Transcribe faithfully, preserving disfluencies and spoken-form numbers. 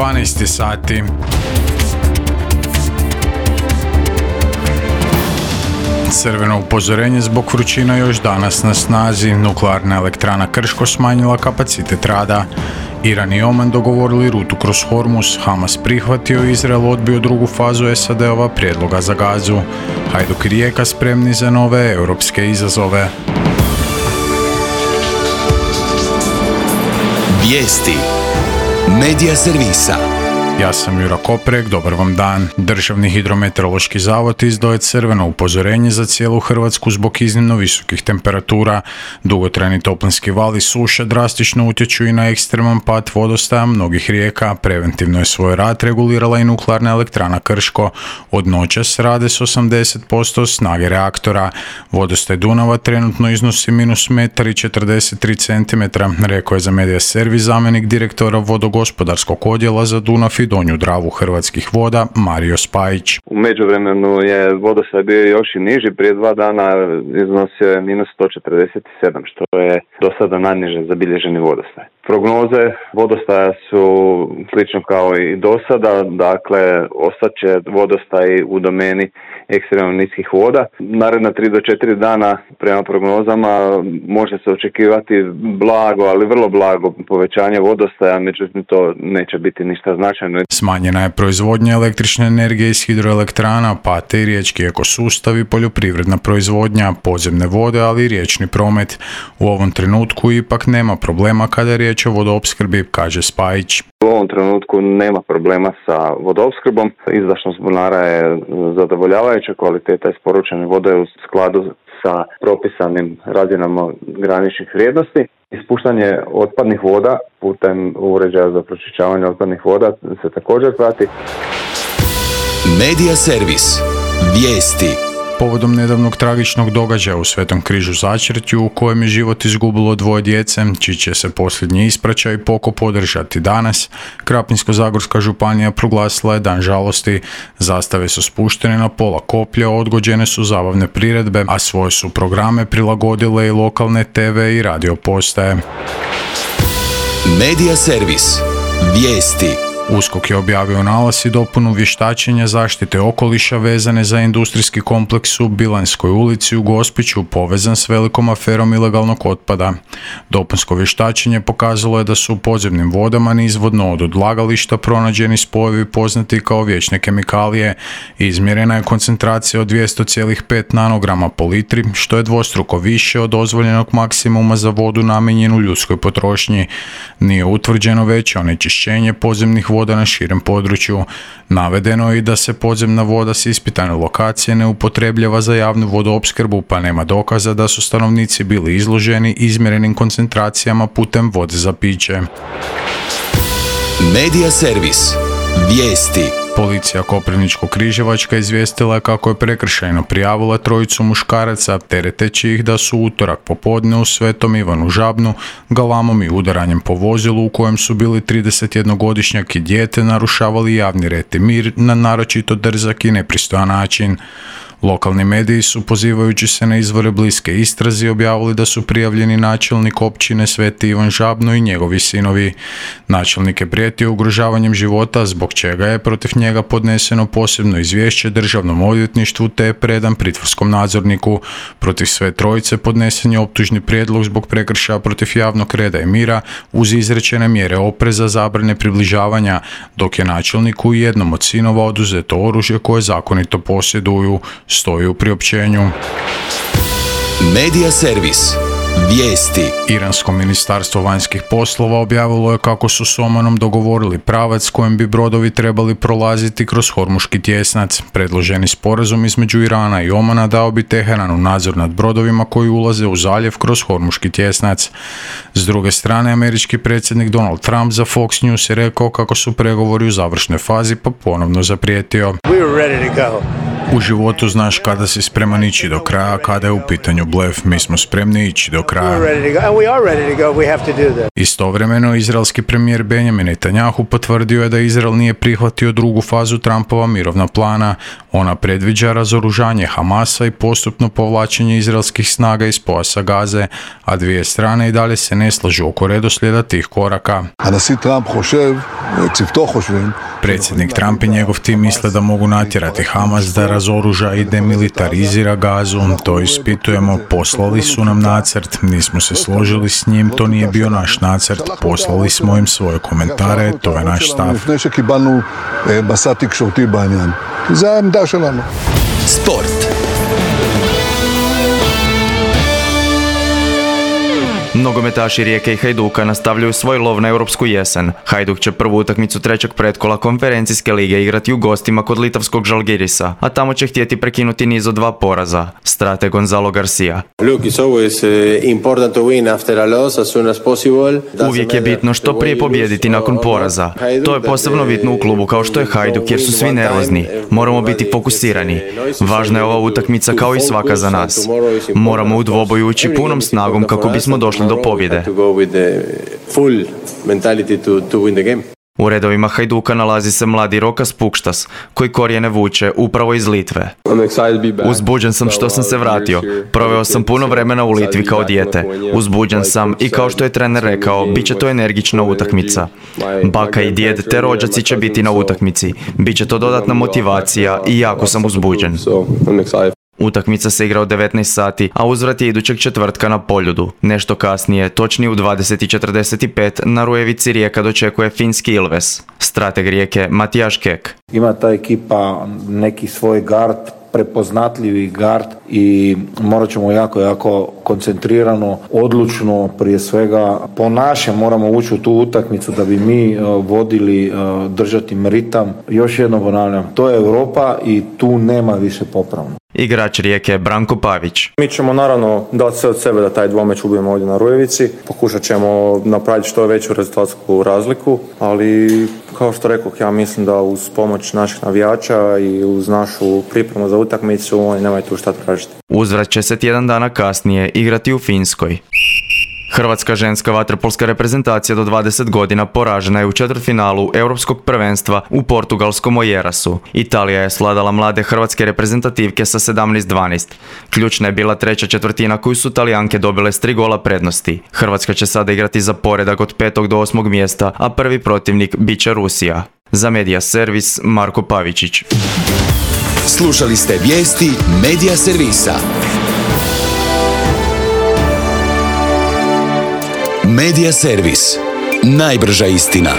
dvanaest sati. Crveno upozorenje zbog vrućina još danas na snazi. Nuklearna elektrana Krško smanjila kapacitet rada. Iran i Oman dogovorili rutu kroz Hormuz, Hamas prihvatio i Izrael odbio drugu fazu S A D-ova prijedloga za Gazu. Hajduk i Rijeka spremni za nove europske izazove. Vijesti Medija servisa. Ja sam Jura Koprek, dobar vam dan. Državni hidrometeorološki zavod izdao je crveno upozorenje za cijelu Hrvatsku zbog iznimno visokih temperatura. Dugotrajni toplinski val i suša drastično utječu i na ekstreman pad vodostaja mnogih rijeka. Preventivno je svoj rad regulirala i nuklearna elektrana Krško. Od noćas rade s osamdeset posto snage reaktora. Vodostaj Dunava trenutno iznosi minus metar i četrdeset tri centimetra, rekao je za Medija servis zamjenik direktora vodogospodarskog odjela za Dunav i Donju Dravu Hrvatskih voda Mario Spajić. U međuvremenu je vodostaj bio još i niži, prije dva dana iznosio je minus sto četrdeset sedam, što je do sada najniže zabilježeni vodostaj. Prognoze vodostaja su slično kao i do sada, dakle ostaće vodostaj u domeni ekstremno niskih voda. Naredna tri do četiri dana prema prognozama može se očekivati blago, ali vrlo blago povećanje vodostaja, međutim to neće biti ništa značajno. Smanjena je proizvodnja električne energije iz hidroelektrana, pate i riječki ekosustavi, poljoprivredna proizvodnja, podzemne vode, ali i riječni promet. U ovom trenutku ipak nema problema kada je riječ o vodoopskrbi, kaže Spajić. U ovom trenutku nema problema sa vodoopskrbom. Izdašnost bunara je zadovoljavajuća, kvaliteta isporučene vode je u skladu sa propisanim razinama graničnih vrijednosti. Ispuštanje otpadnih voda putem uređaja za pročišćavanje otpadnih voda se također prati. Medija servis. Vijesti. Povodom nedavnog tragičnog događaja u Svetom križu Začretju u kojem je život izgubilo dvoje djece, čiji će se posljednji ispraćaj i pokop održati danas, Krapinsko-zagorska županija proglasila je dan žalosti. Zastave su spuštene na pola koplja, odgođene su zabavne priredbe, a svoje su programe prilagodile i lokalne te ve i radio postaje. Medija servis. Vijesti. USKOK je objavio nalaz i dopunu vještačenja zaštite okoliša vezane za industrijski kompleks u Bilanjskoj ulici u Gospiću povezan s velikom aferom ilegalnog otpada. Dopunsko vještačenje pokazalo je da su u podzemnim vodama nizvodno od odlagališta pronađeni spojevi poznati kao vječne kemikalije. Izmjerena je koncentracija od dvjesto zarez pet nanograma po litri, što je dvostruko više od dozvoljenog maksimuma za vodu namijenjenu ljudskoj potrošnji. Nije utvrđeno veće onečišćenje podzemnih voda na širem području. Navedeno je i da se podzemna voda s ispitane lokacije ne upotrebljava za javnu vodoopskrbu, pa nema dokaza da su stanovnici bili izloženi izmjerenim koncentracijama putem vode za piće. Medija servis. Vijesti. Policija Koprivničko-križevačka izvijestila je kako je prekršajno prijavila trojicu muškaraca, tereteći ih da su utorak popodne u Svetom Ivanu Žabnu galamom i udaranjem po vozilu u kojem su bili tridesetjednogodišnjak i dijete narušavali javni red i mir na naročito drzak i nepristojan način. Lokalni mediji su, pozivajući se na izvore bliske istrazi, objavili da su prijavljeni načelnik općine Sveti Ivan Žabno i njegovi sinovi. Načelnik je prijetio ugrožavanjem života, zbog čega je protiv njega podneseno posebno izvješće Državnom odvjetništvu te je predan pritvorskom nadzorniku. Protiv sve trojice podnesen je optužni prijedlog zbog prekršaja protiv javnog reda i mira uz izrečene mjere opreza, zabrane približavanja, dok je načelniku i jednom od sinova oduzeto oružje koje zakonito posjeduju, stoji u priopćenju. Medija servis. Vijesti. Iransko ministarstvo vanjskih poslova objavilo je kako su s Omanom dogovorili pravac kojim bi brodovi trebali prolaziti kroz Hormuški tjesnac. Predloženi sporazum između Irana i Omana dao bi Teheranu nadzor nad brodovima koji ulaze u zaljev kroz Hormuški tjesnac. S druge strane, američki predsjednik Donald Trump za Fox News je rekao kako su pregovori u završnoj fazi, pa ponovno zaprijetio. We were ready to go. U životu znaš kada si spreman ići do kraja, kada je u pitanju blef, mi smo spremni ići do kraja. Istovremeno, izraelski premijer Benjamin Netanjahu potvrdio je da Izrael nije prihvatio drugu fazu Trumpova mirovna plana. Ona predviđa razoružanje Hamasa i postupno povlačenje izraelskih snaga iz pojasa Gaze, a dvije strane i dalje se ne slažu oko redoslijeda tih koraka. Predsjednik Trump i njegov tim misle da mogu natjerati Hamas da razoruža i demilitarizira Gazu. To ispitujemo, poslali su nam nacrt, nismo se složili s njim, to nije bio naš nacrt, poslali smo im svoje komentare, to je naš stav. Sport. Nogometaši Rijeke i Hajduka nastavljaju svoj lov na europsku jesen. Hajduk će prvu utakmicu trećeg pretkola konferencijske lige igrati u gostima kod litavskog Žalgirisa, a tamo će htjeti prekinuti niz od dva poraza. Strate Gonzalo Garcia. Uvijek je bitno što prije pobijediti nakon poraza. To je posebno bitno u klubu kao što je Hajduk jer su svi nervozni. Moramo biti fokusirani. Važna je ova utakmica kao i svaka za nas. Moramo u dvoboju ući punom snagom kako bismo došli do pobjede. U redovima Hajduka nalazi se mladi Rokas Pukštas, koji korijene vuče upravo iz Litve. Uzbuđen sam što sam se vratio. Proveo sam puno vremena u Litvi kao dijete. Uzbuđen sam i kao što je trener rekao, bit će to energična utakmica. Baka i djed te rođaci će biti na utakmici. Biće to dodatna motivacija i jako sam uzbuđen. Utakmica se igra od devetnaest sati, a uzvrat je idućeg četvrtka na Poljudu. Nešto kasnije, točnije u dvadeset i četrdeset pet, na Rujevici Rijeka dočekuje finski Ilves. Strateg Rijeke Matijaš Kek. Ima ta ekipa neki svoj gard, prepoznatljivi gard i morat ćemo jako, jako koncentrirano, odlučno prije svega po našem moramo ući u tu utakmicu da bi mi uh, vodili, uh, držati ritam. Još jednom ponavljam, to je Europa i tu nema više popravno. Igrač Rijeke Branko Pavić. Mi ćemo naravno dati sve od sebe da taj dvomeč ubijemo ovdje na Rujevici. Pokušat ćemo napraviti što veću rezultatsku razliku, ali kao što rekao, ja mislim da uz pomoć naših navijača i uz našu pripremu za utakmicu oni nemaju tu šta tražiti. Uzvrat će se tjedan dana kasnije igrati u Finskoj. Hrvatska ženska vaterpolska reprezentacija do dvadeset godina poražena je u četvrtfinalu Europskog prvenstva u portugalskom Oljerasu. Italija je svladala mlade hrvatske reprezentativke sa sedamnaest dvanaest. Ključna je bila treća četvrtina koju su Talijanke dobile s tri gola prednosti. Hrvatska će sada igrati za poredak od petog do osmog mjesta, a prvi protivnik bit će Rusija. Za Media Servis Marko Pavičić. Slušali ste vijesti Media Servisa. Media Servis. Najbrža istina.